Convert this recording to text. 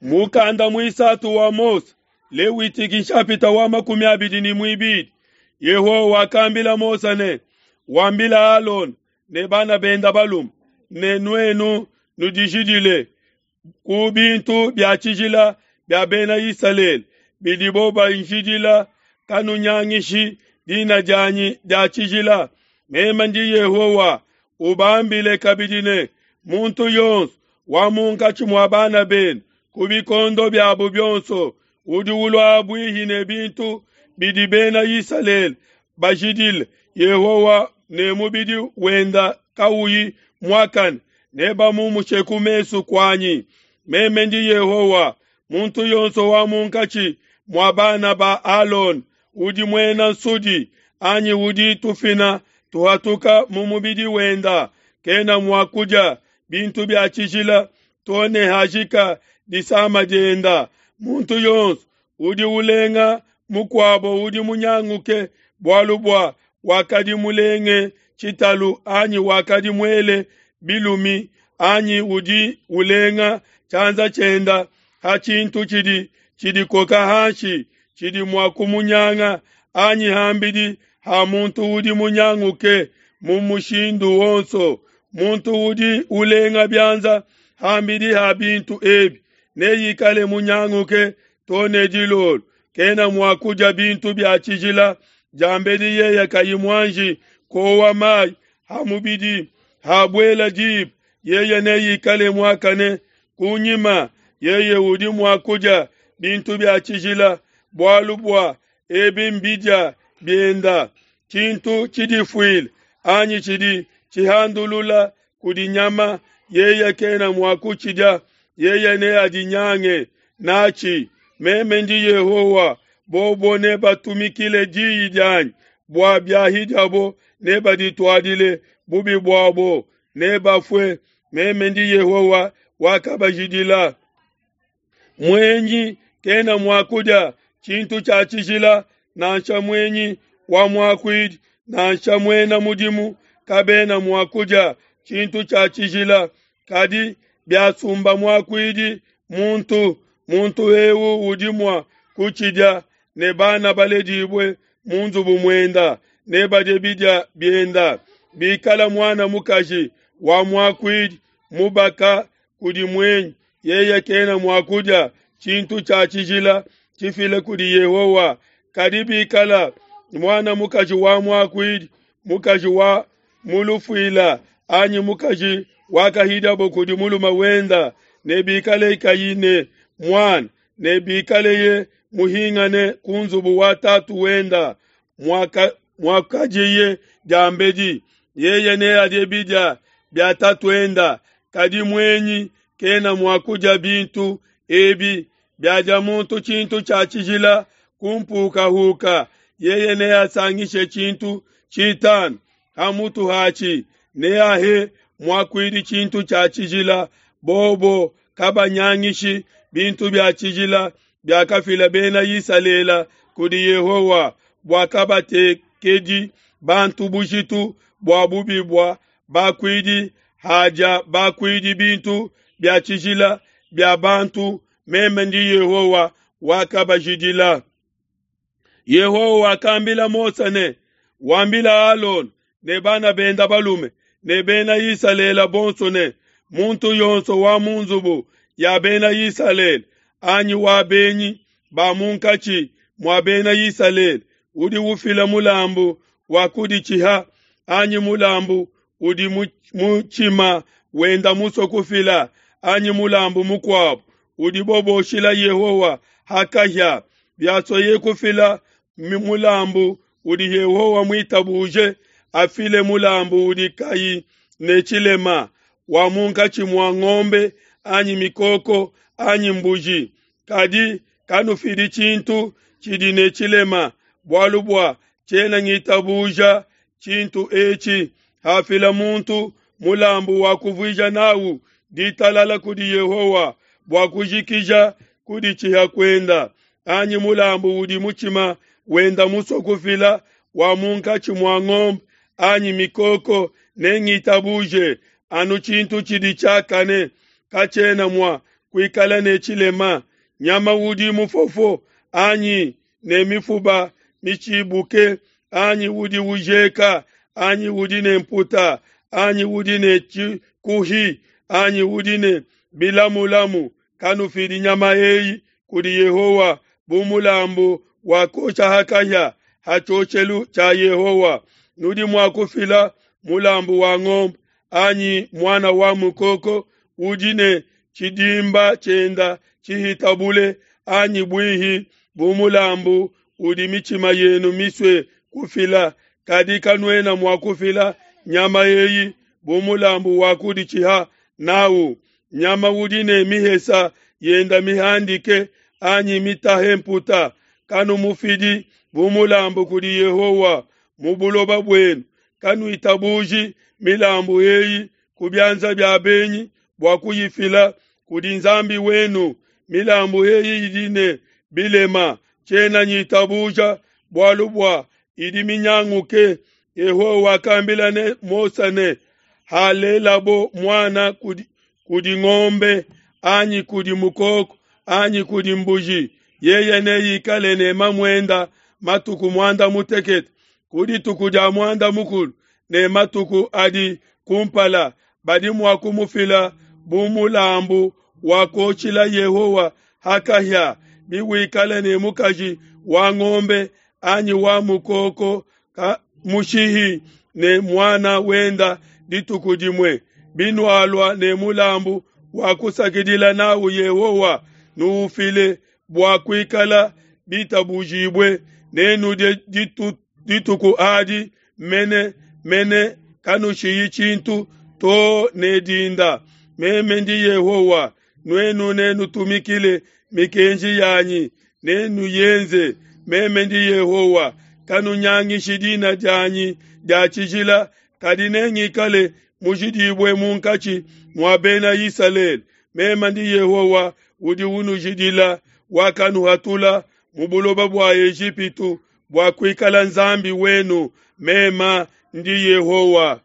Mukanda muisatu wa Mose, Lewitiki nshapita wa 22. Yehowa wakambila Mose ne, Wambila Alona ne bana benda balume ne nuenu nudijidile ku bintu bia tshijila bia bena Isalele bidibo banjidila, kanunyangishi dina dianyi dia tshijila. Meme ndi Yehowa. Ubambile kabidi ne, muntu yonso wa munkatshi mua bana benu ku bikondo biabo bionso udi ulua buihi ne bintu bidi bena Isalele bajidile Yehowa ne mubidi wenda kauyi muakane, nebamumushe ku mesu kuanyi. Meme ndi Yehowa. Muntu yonso wa munkatshi mua bana ba Alona udi muena nsudi anyi udi tufina tuhatuka mu mubidi wenda, kena mua kudia bintu bia tshijila to ne hajika disama dienda. Muntu yonso udi ulenga mukuabo udi munyanguke, bualu bua wakadi mulenge tshitalu anyi wakadi muele bilumi anyi udi ulenga tshianza tshienda ha tshintu tshidi tshidikoka hanshi tshidi mua kumunyanga, anyi hambidi ha muntu udi munyanguke mu mushindu wonso. Muntu udi ulenga bianza hambidi ha bintu ebi neikale munyanguke to ne dilolo, kena mua kudia bintu bia tshijila diambedi yeye kayi muanji kowa mai ha mubidi. Habuela diba yeye neikale muakane, kunyima yeye udi mua kudia bintu bia tshijila, bualu bua ebi mbidia bienda. Tshintu tshidifuile anyi tshidi tshihandulula kudi nyama, yeye kena mua kutshidia, yeye neadinyange natshi. Meme ndi Yehowa. Bobo nebatumikile diyi dianyi, bua biahidiabo nebadituadile bubi buabo, nebafue. Meme ndi Yehowa wakabajidila. Muenyi kena mua kudia tshintu tshia tshijila, nansha muenyi wa muakuidi nansha muena mudimu kabena mua kudia tshintu tshia tshijila. Kadi biasumba muakuidi muntu, muntu eu udi mua kutshidia, ne bana baledibue mu nzubu muenda nebadie bidia bienda. Bikala muana mukaji wa muakuidi mubaka kudi muenyi, yeye kena mua kudia tshintu tshia tshijila tshifila kudi Yehowa. Kadi bikala muana mukaji wa muakuidi, mukaji wa mulufuila anyi mukaji wakahidiabo kudi mulume wenda, ne bikale kayi ne muana, ne bikaleye muhingane ku nzubu wa tatu wenda muakajiye diambedi, yeye neadie bidia bia tatuenda. Kadi muenyi kena mua kudia bintu ebi. Biadia muntu tshintu tshia tshijila ku mpukahuka, yeye neasangishe tshintu tshitanu ha mutu hatshi, neahe muakuidi tshintu tshia tshijila. Bobo kabanyangishi bintu bia tshijila biakafila bena Isalele kudi Yehowa, bua kabatekedi bantu bujitu bua bubi bua bakuidi hadia bakuidi bintu bia tshijila bia bantu. Meme ndi Yehowa wakabajidila. Yehowa wakambila Mose ne, Wambila Alona ne bana benda balume ne bena Isalele bonso ne, muntu yonso wa mu nzubu ya bena Isalele anyi wa benyi ba munkatshi mua bena Isalele udi ufila mulambu wa kuditshiha anyi mulambu udi mutshima wenda musue kufila anyi mulambu mukuabo udibo boshila Yehowa ha kahia, biasueye kufila mulambu udi Yehowa muitabuje, afile mulambu udi kayi ne tshilema wa munkatshi mua ngombe anyi mikoko anyi mbuji. Kadi kanufidi tshintu tshidi ne tshilema, bualu bua tshiena ngitabuja tshintu etshi. Hafila muntu mulambu wa kuvuija nawu ditalala kudi Yehowa bua kujikija kuditshiha kuenda, anyi mulambu udi mutshima wenda musue kufila wa munkatshi mua ngombe anyi mikoko, nengitabuje anu tshintu tshidi tshiakane, katshiena mua kuikala ne tshilema, nyama udi mufofo anyi ne mifuba mitshibuke anyi udi ujeka anyi udi ne mputa anyi udi ne tshikuhi anyi udi ne bilamulamu, kanufidi nyama eyi kudi Yehowa bu mulambu wa kuosha ha kahia ha tshioshelu tshia Yehowa. Nudi mua kufila mulambu wa ngombe anyi muana wa mukoko udi ne tshidimba tshienda tshihita bule anyi buihi bu mulambu udi mitshima yenu misue kufila, kadi kanuena mua kufila nyama eyi bu mulambu wa kuditshiha nawu. Nyama udi ne mihesa yenda mihandike anyi mitahe mputa, kanumufidi bu mulambu kudi Yehowa mu buloba buenu. Kanuitabuji milambu eyi ku bianza bia benyi bua kuyifila kudi Nzambi wenu. Milambu eyi idi ne bilema, tshiena nyitabuja bualu bua idi minyanguke. Yehowa wakambila ne Mose ne, halelabo muana kudi, kudi ngombe anyi kudi mukoko anyi kudi mbuji, yeye neikale ne mamuenda matuku muanda mutekete. Ku dituku dia muanda mukulu ne matuku adi kumpala badi mua kumufila bu mulambu wa kuoshila Yehowa ha kahia. Biwikale ne mukaji wa ngombe anyi wa mukoko ka mushihi ne muana wenda dituku dimue, binualua ne mulambu wa kusakidila nawu Yehowa, nuufile bua kuikala bitabujibue, nenudie ditu, dituku adi mene mene, kanushiyi tshintu to ne dinda. Meme ndi Yehowa, nuenu nenutumikile mikenji yanyi, nenuyenze. Meme ndi Yehowa, kanunyangishi dina dianyi dia tshijila, kadi nengikale mujidibue munkatshi mua bena Isalele. Meme ndi Yehowa udi unujidila, wakanuhatula mu buloba bua Ejipitu bua kuikala Nzambi wenu. Meme ndi Yehowa.